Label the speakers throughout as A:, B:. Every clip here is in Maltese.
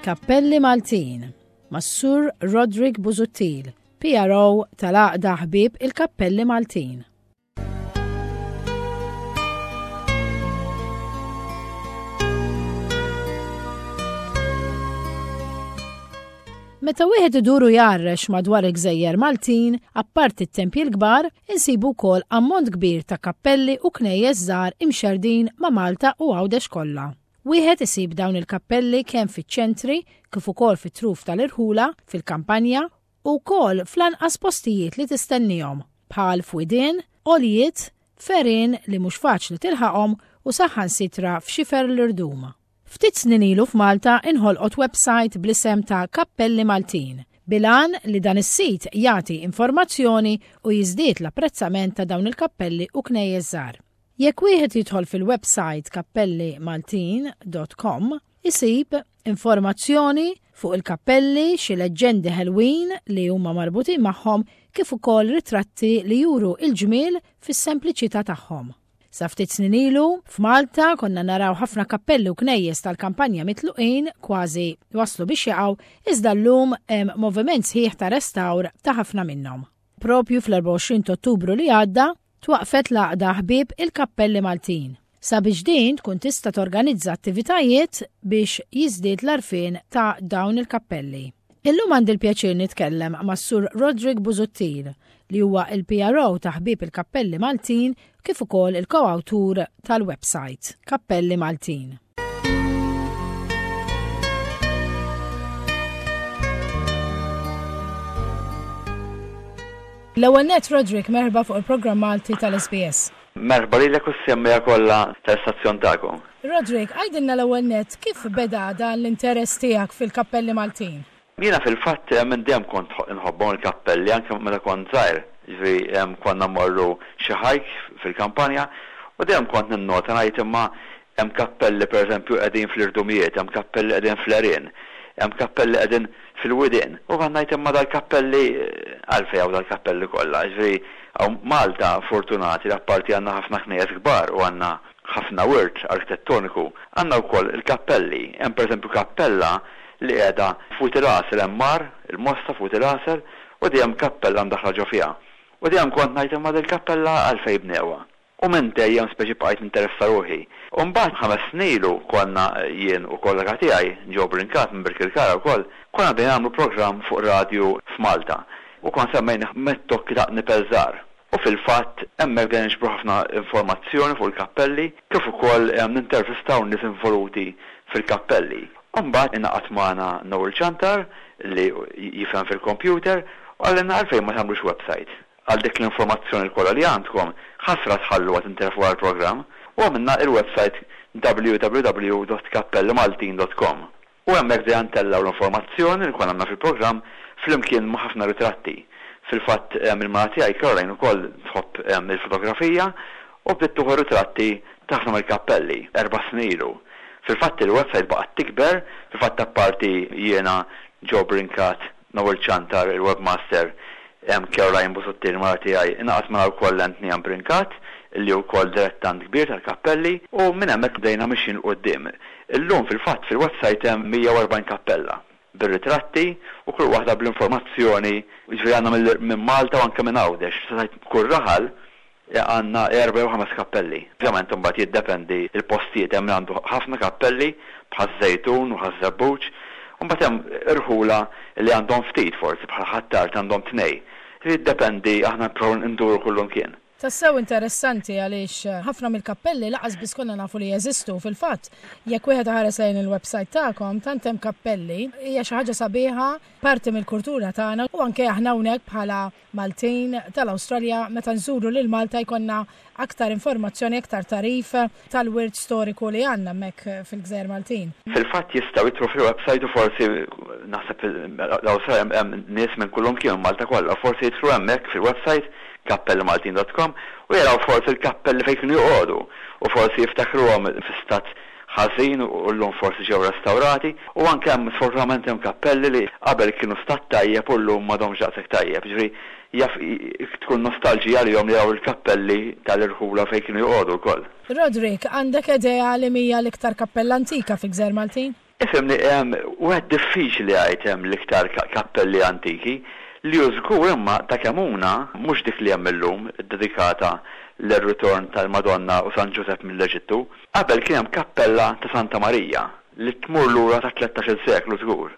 A: Kappelli Maltin mas-Sur Roderick Busuttil, PRO tal-Għaqda Ħbieb il-Kappelli Maltin. Meta wieħed idur u jgħarrex madwar il-gżejjer Maltin, apparti t-tempji l-kbar, insibu wkoll ammont kbir ta' kappelli u knejjes żgħar imxerrdin ma' Malta u Għawdex kollha. Wieħed isib dawn il-kappelli kemm fiċ-ċentri kif ukoll fit-truf tal-irħula, fil-kampanja u wkoll fl-anqas postijiet li tistennihom, bħal f'widien, għoljiet, f'għerien li mhux faċli tilħaqhom u saħansitra f'xifer l-irdum. Ftit snin ilu f'Malta inħolqot websajt bl-isem ta' Kappelli Maltin, bil-għan li dan is-sit jagħti informazzjoni u jiżdied l-apprezzament ta' dawn il-kappelli u knejjes żgħar. Jekk wieħed jidħol fil-websajt kappellimaltin dot com isib informazzjoni fuq il-kappelli, xi leġġendi ħelwin li huma marbutin magħhom kif ukoll ritratti li juru l-ġmiel fis-sempliċità tagħhom. Sa ftit snin ilu, f'Malta konna naraw ħafna kappelli u knejjes tal-kampanja mitluqin kważi waslu biex jaqgħu, iżda llum hemm moviment sħiħ ta' restawr ta' ħafna minnhom. Propju fl-24 t'Ottubru li għadda, twaqqfet l-Għaqda Ħbieb il-Kappelli Maltin, sabiex din tkun tista' torganizza attivitajiet biex jiżdied l-għarfien ta' dawn il-kappelli. Illum għandi l-pjaċir nitkellem mas-Sur Roderick Busuttil, li huwa il-PRO ta' Ħbieb il-Kappelli Maltin kif ukoll il-koawtur tal-website Kappelli Maltin. L-ewwel nett Roderick merħba fuq il-programm Malti tal-SBS.
B: Merħba lilek u s-semmiegħa kollha tal-istazzjon tagħkom.
A: Roderick, għidilna l-ewwel nett kif beda dan l-interess tiegħek fil-kappelli Maltin?
B: Jiena fil-fatt minn dejjem kont inħobbhom il-kappelli anke meta kont żgħir, jiġifieri konna mmorru xi hike fil-kampanja u dejjem kont ninnota ngħid imma hemm kappelli pereżempju qegħdin fl-irdumijiet, hemm kappelli qegħdin fl-għerien, hemm kappelli qegħdin fil-widien. U kont ngħid imma dal-kappelli għalfejn hawn dal-kappelli kollha? Jiġifieri hawn Malta fortunati li apparti għandna ħafna knejjes kbar u għandna ħafna wirt arkitettoniku, għandna wkoll il-kappelli. Hemm pereżempju kappella li qiegħda f'Wied il-Għasel hemm mar, il-Mosta f'Wied il-Għasel, u dejjem kappella mdaħħla ġo fiha. U dejjem kont ngħid imma dil-kappella għalfejn bnewha? U minn dejjem speċi bqajt ninteressa ruħi. U mbagħad ħames snin ilu konna jien u kollega tiegħi, Joe Brincat minn Birkirkara wkoll, konna bdejna nagħmlu programm fuq radju f'Malta u konna semmejnih Met-Tokki ta' Qnipel Żgħar. U fil-fatt hemmhekk bdejna niġbru ħafna informazzjoni fuq il-kappelli kif ukoll nintervistaw nies involuti fil-kappelli. U mbagħad ingħaqad magħna Noel Ciantar li jifhem fil-kompjuter u qalilna għalfejn ma tagħmlux website għal dik l-informazzjoni kollha li għandkom, ħasra tħalluha tintilef wara l-programm. U għamilna il-website www.kappellimaltin.com. U hemmhekk bdejna ntellgħu l-informazzjoni li konna għamilna fil-programm flimkien ma' ħafna ritratti. Fil-fatt il-mara tiegħi Caroline ukoll tħobb il-fotografija u bdiet tieħu ritratti ta' ħafna mill-kappelli erba' snin ilu. Fil-fatt il-website baqgħet tikber, fil-fatt apparti jiena, Joe Brincat, Noel Ciantar, il-webmaster, Caroline Busuttil, il-mara tiegħi, ingħaqad magħna wkoll Anthony Brincat, li hu wkoll dilettant kbir tal-kappelli, u minn hemmhekk bdejna mixjin 'l quddiem. Illum fil-fatt fil-website hemm 140 kappella, bir-ritratti u kull waħda bl-informazzjoni, jiġifieri għandna minn Malta u anke minn Għawdex, tista' tgħid kull raħal Għandna erba' jew ħames kappelli. Ovvjament imbagħad jiddependi l-postijiet, hemm min għandu ħafna kappelli bħaż-Żejtun u Ħaż-Żebbuġ, u mbagħad hemm irħula li għandhom ftit forsi bħal Ħ'Attard għandhom tnejn. Jiddependi aħna nipprovaw nduru kullumkien.
A: Tassew interessanti għaliex ħafna mill-kappelli lanqas biss konna nafu li jeżistu. Fil-fatt, jekk wieħed iħares lejn il-website tagħkom, tant hemm kappelli, hija xi ħaġa sabiħa, parti mill-kultura tagħna u anke aħna hawnhekk bħala Maltin tal-Awstralja meta nżuru lil Malta jkollna aktar informazzjoni, aktar tagħrif tal-wirt storiku li għandna hemmhekk fil-Gżejjer Maltin.
B: Fil-fatt jistgħu jidħlu fil-website u forsi naħseb l-Awstralja hemm nies minn kullimkien minn Malta kollha, forsi jidħlu hemmhekk fil-website kappellimaltin dot com u jaraw forsi l-kappelli fejn kienu joqogħdu u forsi jiftakruhom fi stat ħażin u llum forsi ġew restawrati u anke hemm sfortunatament hemm kappelli li qabel kienu stat tajjeb u llum m'għadhomx daqshekk tajjeb. Jiġifieri jaf tkun nostalġija għalihom li jaraw il-kappelli tal-irħula fejn kienu joqogħdu wkoll.
A: Roderick, għandek idea liema hija l-iktar kappella antika fil-Gżejjer Maltin?
B: Ifhimni, wieħed diffiċli jgħid hemm l-iktar kappelli antiki. Li hu żgur imma ta' Kemmuna, mhux dik li hemm illum, iddedikata lir-ritorn tal-Madonna u San Ġużepp mill-Eġittu. Qabel kien hemm kappella ta' Santa Marija li tmur lura tat-tlettax-il seklu żgur,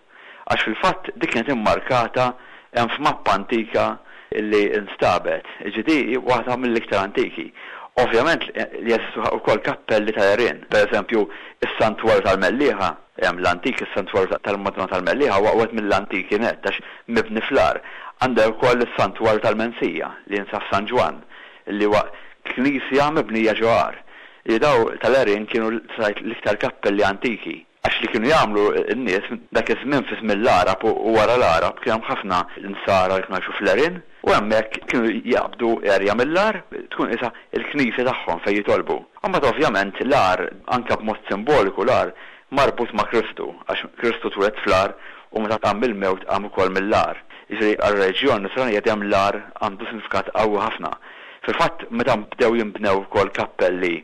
B: għax fil-fatt dik kienet immarkata hemm f'mappa antika li nstabet, jiġifieri di hi waħda mill-iktar antiki. Ovvjament li jeżistu wkoll kappelli tal-għerien, pereżempju s-Santwarju tal-Mellieħa, hemm l-antik is-Santwarju tal-Madonna tal-Mellieħa huwa wieħed mill-antiki nett għax mibni fl-għar. Għandek ukoll is-Santwarju tal-Mensija li jinsab f'San Ġwann li huwa knisja mibnija ġo għar. Li daw tal-għerien kienu tgħid l-iktar kappelli antiki. Għax li kienu jagħmlu n-nies dak iż-żmien fi żmien l-Għarab u wara l-Għarab kien hemm ħafna Nsara li kienu jgħixu fl-għerien u hemmhekk kienu jaqbdu għerja mill-għar tkun qisha l-knisja tagħhom fejn jitolbu. U mbagħad ovvjament l-għar anke b'mod simboliku l-għar marbut ma' Kristu għax Kristu twieled fl-għar u meta qam mill-mewt qam ukoll mill-għar. Jiġifieri għar-reliġjon Nisranija dejjem l-għar għandu sinifikat qawwi ħafna. Fil-fatt meta bdew jinbnew ukoll kappelli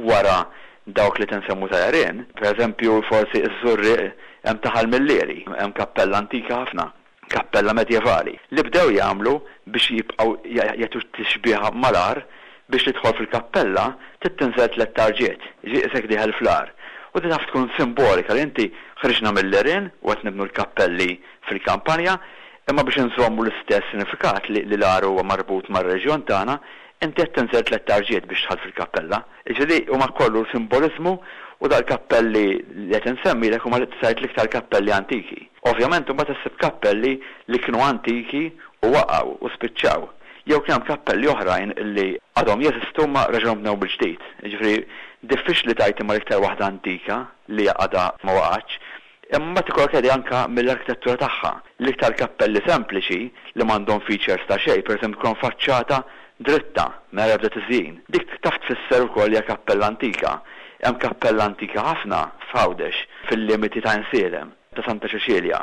B: wara dawk li tinsemmu ta' għerien, pereżempju forsi ż-Żurrieq hemm ta' Ħal Millieri, hemm kappella antika ħafna, kappella medjevali, li bdew jagħmlu biex jibqgħu jagħtu tixbieha mal-għar biex li tidħol fil-kappella trid tinżel tlett tarġiet, jiġifieri qisek dieħel fl-għar. U din taf tkun simbolika li inti ħriġna mill-għerien u qed nibnu l-kappelli fil-kampanja, imma biex inżommu l-istess sinifikat li l-għar huwa marbut mar-reġjon tagħna, Inti qed tinżel tlett tarġiet biex dħalt fil-kappella. Jiġifieri huma kollu simboliżmu u dal-kappelli li qed insemmilek huma tgħid l-iktar kappelli antiki. Ovvjament imbagħad issib kappelli li kienu antiki u waqgħu u spiċċaw. Jew kien hemm kappelli oħrajn li għadhom jeżistu imma reġgħu nbnew mill-ġdid. Jiġifieri diffiċli tgħid imma l-iktar waħda antika li għadha ma waqgħetx. Imma mbagħad ikollok idea anke mill-arkitettura tagħha. L-iktar kappelli sempliċi li m'għandhom features ta' xejn, pereżempju jkollhom faċċata dritta mingħajr ebda tiżjin. Dik taf tfisser ukoll hija kappella antika. Hemm kappella antika ħafna f'Għawdex, fil-limiti ta' Għinsielem, ta' Santa Ċeċilja.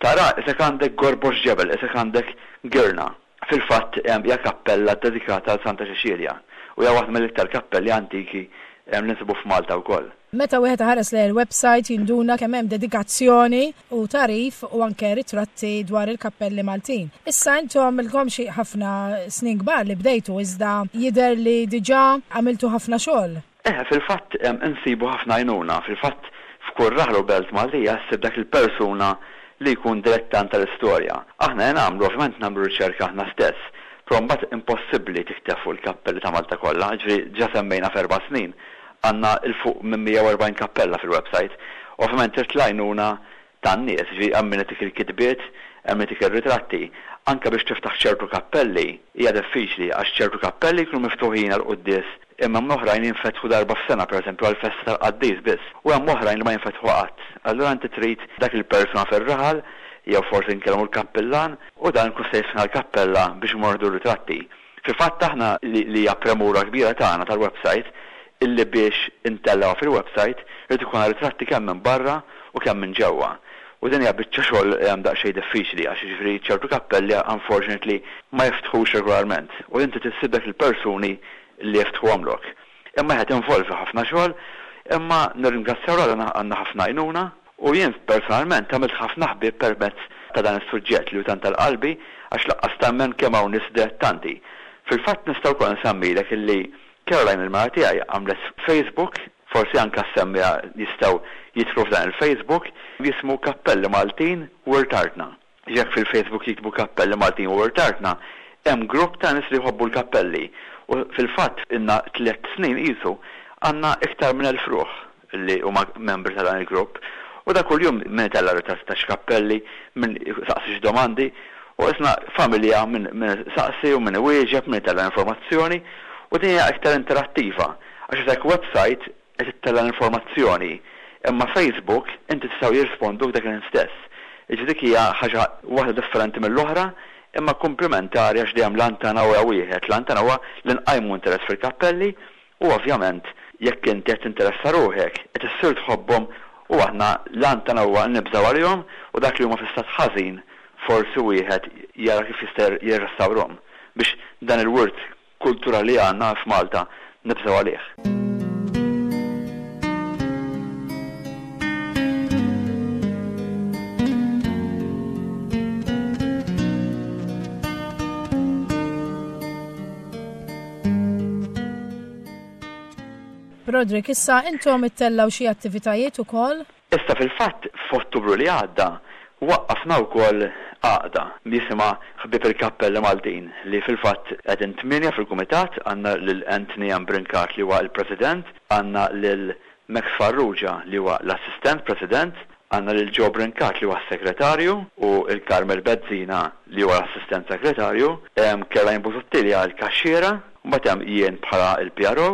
B: Tara qisek għandek gorbox ġebel, qisek għandek girna. Fil-fatt hija kappella ddedikata għal Santa Ċeċilja u hija waħda mill-iktar kappelli antiki li nsibu f'Malta wkoll.
A: Meta wieħed iħares lejn il-website jinduna kemm hemm dedikazzjoni u tagħrif u anke ritratti dwar il-kappelli Maltin. Issa intom ilkom xi ħafna snin kbar li bdejtu iżda jidher li diġà għamiltu ħafna xogħol.
B: Eħe, fil-fatt insibu ħafna għajnuna. Fil-fatt f'kull raħal u belt Maltija ssib dak il-persuna li jkun dilettant tal-istorja. Aħna li nagħmlu, ovvjament nagħmlu riċerka aħna stess, però mbagħad impossibbli tikteb fuq il-kappelli ta' Malta kollha, jiġifieri ġa semmejna f'erba' snin għandna 'l fuq minn 140 kappella fil-website. Ovvjament trid l-għajnuna tan-nies, jiġifieri hemm min itik il-kitbiet, hemm min itik ir-ritratti. Anke biex tiftaħ ċertu kappelli hija diffiċli għax ċertu kappelli jkunu miftuħin għall-quddies imma hemm oħrajn li jinfetħu darba f'sena pereżempju għall-festa tal-qaddis biss u hemm oħrajn li ma jinfetħu qatt. Allura inti trid dak il-persuna fir-raħal jew forsi nkellmu l-kappillan u dan ikun se jiftħilna l-kappella biex imorru nieħdu r-ritratti. Fil-fatt aħna li li hija premura kbira tagħna tal-website illi biex intellgħuha fil-website irid ikollna ritratti kemm minn barra u kemm minn ġewwa. U din hija biċċa xogħol daqsxejn diffiċli għax jiġifieri ċertu kappelli unfortunately ma jiftħux regolarment u inti trid issib dak il-persuni li jiftħuhomlok. Imma eħe tinvolvi ħafna xogħol imma nirringrazzjaw 'l Alla għandna ħafna għajnuna U jien personalment għamilt ħafna ħbieb permezz ta' dan is-suġġett li hu tant għal qalbi għax laqqas temmen kemm hawn nies dilettanti. Fil-fatt nista' wkoll nsemmilek illi Caroline il-mara tiegħi għamlet Facebook, forsi anke s-semmiegħa jistgħu jidħlu f'dan il-Facebook, jismu Kappelli Maltin Wirt Artna. Jekk fil-Facebook jiktbu Kappelli Maltin u Wirt Artna, hemm grupp ta' nies li jħobbu l-kappelli. U fil-fatt ilna tlett snin qisu għandna iktar minn 1,000 ruħ li huma membri ta' dan il-grupp. U ta' kuljum min itella' ritratti ta' xi kappelli, min isaqsi xi domandi u qisna familja min isaqsi u min iwieġeb, min itella' informazzjoni u din hija iktar interattiva għax isek website qed ittella' l-informazzjoni imma Facebook inti tistgħu jirrisponduk dak il-ħin stess. Jiġifieri dik hija ħaġa waħda differenti mill-oħra imma kumplimentari għax dejjem l-għan tagħna huwa wieħed, l-għan tagħna huwa li nqajmu interess fil-kappelli u ovvjament jekk inti qed tinteressa ruħek qed issir tħobbhom u aħna l-għan tagħna huwa li nibżgħu għalihom u dak li huma fi stat ħażin forsi wieħed jara kif jista' jirrestawrhom biex dan il-wirt kulturali li għandna f'Malta nibżgħu għalih.
A: Broderick, issa intom ittellgħu xi attivitajiet ukoll?
B: Issa fil-fatt f'Ottubru li għadda waqqafna wkoll għaqda li jisimha Ħbieb il-Kappelli Maltin li fil-fatt qegħdin tmienja fil-kumitat, għandna lil Anthony M. Brincat li huwa l-President, għandna lil Max Farrugia li huwa l-Assistent President, għandna lil Joe Brincat li huwa s-Segretarju u l Carmel Bezzina li huwa l-Assistent Segretarju, hemm Caroline Busuttil li hija l-Kaxxiera, mbagħad hemm jien bħala l-PRO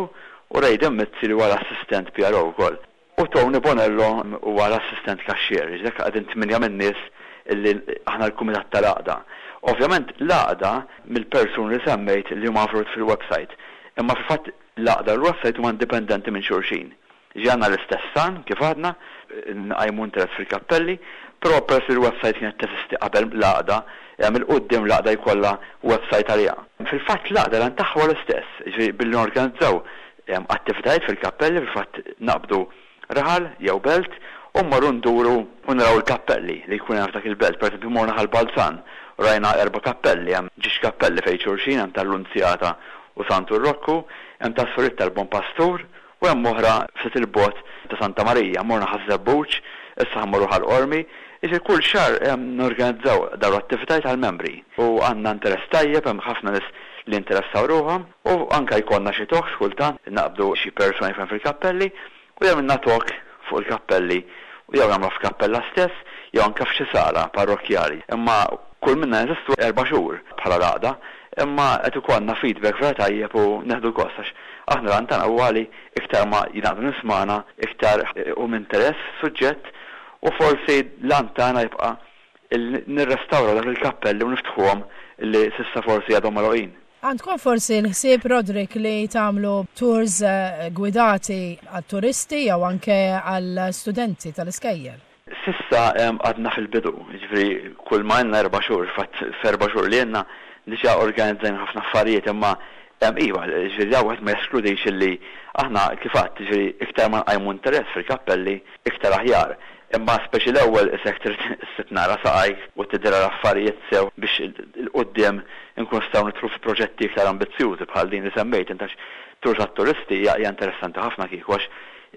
B: u Rayden Mizzi li huwa l-Assistent PRO wkoll. U Tony Bonello huwa l-assistent kaxxier. Jiġifieri hekk qegħdin tmienja min-nies illi aħna l-kumitat tal-għaqda. Ovvjament l-għaqda mill-persuni li semmejt li huma involuti fil-website. Imma fil-fatt l-għaqda u l-website huma indipendenti minn xulxin. Jiġifieri għandna l-istess għan, kif għadna, nqajmu interess fil-kappelli, però peress li l-website kienet teżisti qabel l-għaqda, 'il quddiem l-għaqda jkollha website għaliha. Fil-fatt l-għaqda l-għan tagħha huwa l-istess, jiġifieri billi norganizzaw Hemm attivitajiet fil-kappelli, fil-fatt naqbdu raħal jew belt u mmorru nduru u naraw il-kappelli li jkun hemm f'dak il-belt. Pereżempju morna Ħal Balzan u rajna erba' kappelli, hemm ġiex kappelli fejn xulxin, hemm tal-Lunzjata u Santu Rokku, hemm tas-Suriet tal-Bon Pastur u hemm oħra ftit 'il bogħod ta' Santa Marija. Morna Ħaż-Żebbuġ, issa ħa mmorru Ħal Qormi. Jiġifieri kull xahar norganizzaw dawn l-attivitajiet għall-membri u għandna interess tajjeb, hemm ħafna nies li jinteressaw ruħhom. U anke jkollna xi talks kultant, naqbdu xi persuna jifhem fil-kappelli u jagħmilna talk fuq il-kappelli u jew nagħmluha f'kappella stess jew anke f'xi sala parrokkjali. Imma kull minna jeżistu erba' xhur bħala l-għaqda, imma qed ikollna feedback vera tajjeb u neħdu gost għax aħna l-għan tagħna huwa li iktar ma jingħaqdu nies magħna iktar iqum interess fis-suġġett u forsi l-għan tagħna jibqa' li nirrestawraw dawk il-kappelli u niftħuhom li s'issa forsi għadhom magħluqin.
A: Għandkom forsi l-ħsieb, Roderick, li tagħmlu tours gwidati għat-turisti jew anke għal studenti tal-iskejjel?
B: S'issa għadna fil-bidu, jiġifieri kull ma ilna erba' xhur, fatt f'erba' xhur li ilna diġà organizzajna ħafna affarijiet imma iva, jiġifieri dan wieħed ma jeskludix illi aħna kif għedt, jiġifieri iktar ma nqajmu interess fil-kappelli iktar aħjar. Imma speċi l-ewwel isek trid issib naqra saqajk u tidhra l-affarijiet sew biex 'il quddiem inkunu nistgħu nidħlu fi proġetti iktar ambizzjużi bħal din li semmejt int għax tours għat-turisti hija hija interessanti ħafna kieku għax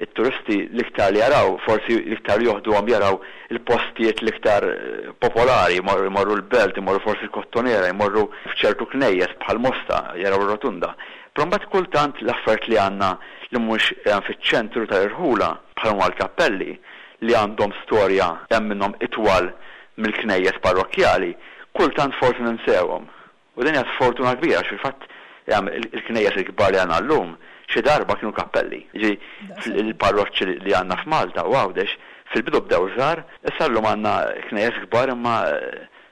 B: it-turisti l-iktar li jaraw forsi l-iktar li joħduhom jaraw il-postijiet l-iktar popolari jmorru jmorru l-Belt imorru forsi l-Kottonera jmorru f'ċertu knejjes bħal Mosta jaraw ir-Rotunda. Però mbagħad kultant l-affarijiet li għandna li mhumiex fiċ-ċentru tal-irħula bħal huma l-kappelli, li għandhom storja hemm minnhom itwal mill-knejjes parrokkjali, kultant forsi ninsewhom. U din hija sfortuna kbira għax fil-fatt il-knejjes il-kbar li għandna llum xi darba kienu kappelli. Jiġifieri il-parroċċi li għandna f'Malta u Għawdex fil-bidu bdew żgħar, issa llum għandna knejjes kbar imma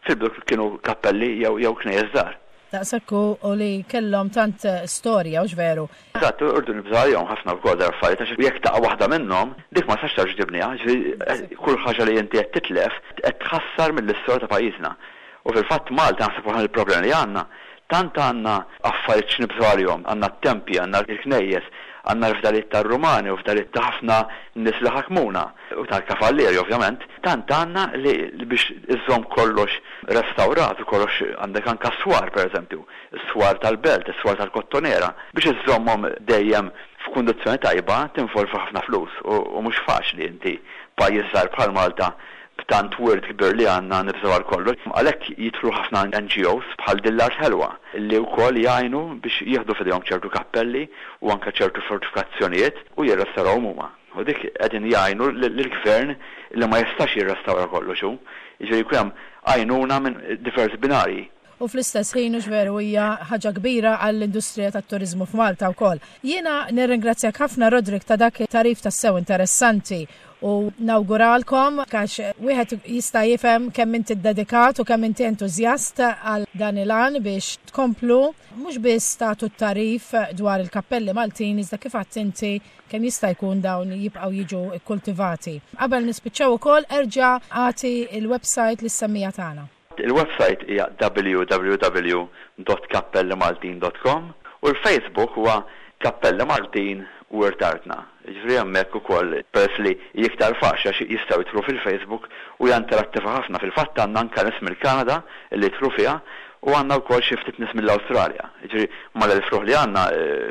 B: fil-bidu kienu kappelli jew knejjes żgħar.
A: Daqshekk hu u li kellhom tant storja, hux veru?
B: Eżatt, u rridu nibżgħu għalihom ħafna wkoll dawn l-affarijiet għax jekk taqa' waħda minnhom, dik ma tistax terġa' tibniha, jiġifieri kull ħaġa li inti qed titlef qed tħassar mill-istorja ta' pajjiżna. U fil-fatt Malta naħseb waħda mill-problemi li għandna, tant għandna affarijiet x'nibżgħu għalihom, għandna t-tempji, għandna l-knejjes, għandna l-fdalijiet tar-Rumani u fdalijiet ta' ħafna nies li ħakmuna, u tal-kavallieri ovvjament, tant għandna li biex iżżomm kollox restawrat u kollox għandek anke s-swar pereżempju, is-swar tal-Belt, is-swar tal-Kottonera, biex iżżommhom dejjem f'kundizzjoni tajba tinvolvi ħafna flus u mhux faċli inti pajjiż żgħir bħal Malta. B'tant wirt kbir li għandna nibżgħu għal kollox. Għalhekk jidħlu ħafna NGOs bħal Din l-Art Ħelwa li wkoll jgħinu biex jieħdu f'idejhom ċertu kappelli u anke ċertu fortifikazzjonijiet u jirrestawrawhom huma. U dik qegħdin jgħinu lill-Gvern li ma jistax jirrestawra kollox hu. Jiġifieri jkun hemm għajnuna minn diversi binarji.
A: U fl-istess ħin hux veru hija ħaġa kbira għall-industrija tat-turiżmu f'Malta wkoll. Jiena nirringrazzjak ħafna Roderick ta' dak it-tagħrif tassew interessanti u nawguralkom għax wieħed jista' jifhem kemm inti ddedikat u kemm inti entużjast għal dan il-għan biex tkomplu mhux biss tagħtu t-tagħrif dwar il-kappelli Maltin iżda kif għedt inti kemm jista' jkun dawn jibqgħu jiġu kkultivati. Qabel nispiċċaw ukoll erġa' agħti l-website lis-semmiegħa tagħna.
B: Il-website hija www.kappellimaltin.com u l-Facebook huwa Kappelli Maltin Wirt Artna. Jiġifieri hemmhekk ukoll peress li hi iktar faċli għax jistgħu jidħlu fil-Facebook u hija interattiva ħafna. Fil-fatt għandna anke nies mill-Kanada li jidħlu fiha u għandna wkoll xi ftit nies mill-Awstralja. Jiġifieri mal-1000 ruħ li għandna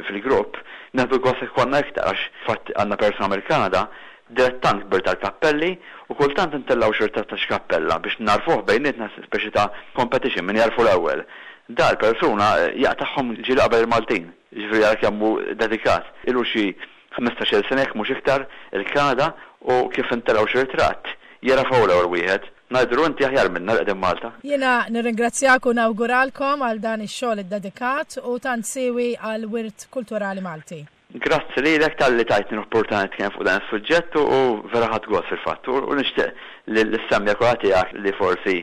B: fil-grupp, nieħdu gost jekk ikollna iktar għax fatt għandna persuna mill-Kanada Dilettant kbir tal-kappelli u kultant intellgħu xi ritratt ta' xi kappella biex nagħrfuh bejnietna speċi ta' competition min jagħrfu l-ewwel. Dar persuna jaqtagħhom ġieli qabel il-Maltin. Jiġifieri ara kemm hu dedikat. Ilu xi ħmistax-il sena jekk mhux iktar il-Kanada u kif intellgħu xi ritratt jagħraf hu l-ewwel wieħed. Ngħidulu inti aħjar minna li qegħdin Malta.
A: Jiena nirringrazzjak u nawguralkom għal dan ix-xogħol iddedikat u tant siewi għall-wirt kulturali Malti.
B: Grazzi lilek talli tajtni l-opportunità nitkellem fuq dan is-suġġett u vera ħadt gost fil-fatt u nixtieq li s-semmiegħa kollha tiegħek li forsi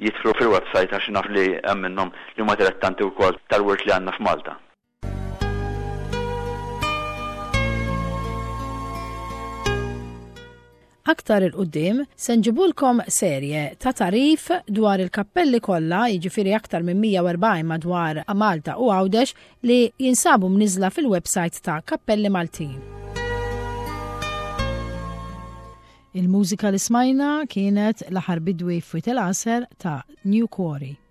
B: jidħlu fil-website għax naf li hemm minnhom li huma dilettanti wkoll tal-wirt li għandna f'Malta.
A: Aktar 'il quddiem se nġibulkom serje ta' tagħrif dwar il-kappelli kollha, jiġifieri aktar minn 140 madwar Malta u Għawdex li jinsabu mniżżla fil-websajt ta' Kappelli Maltin. Il-mużika li smajna kienet L-Aħħar Bidwi f'Wied il-Għasel ta' New Quarry.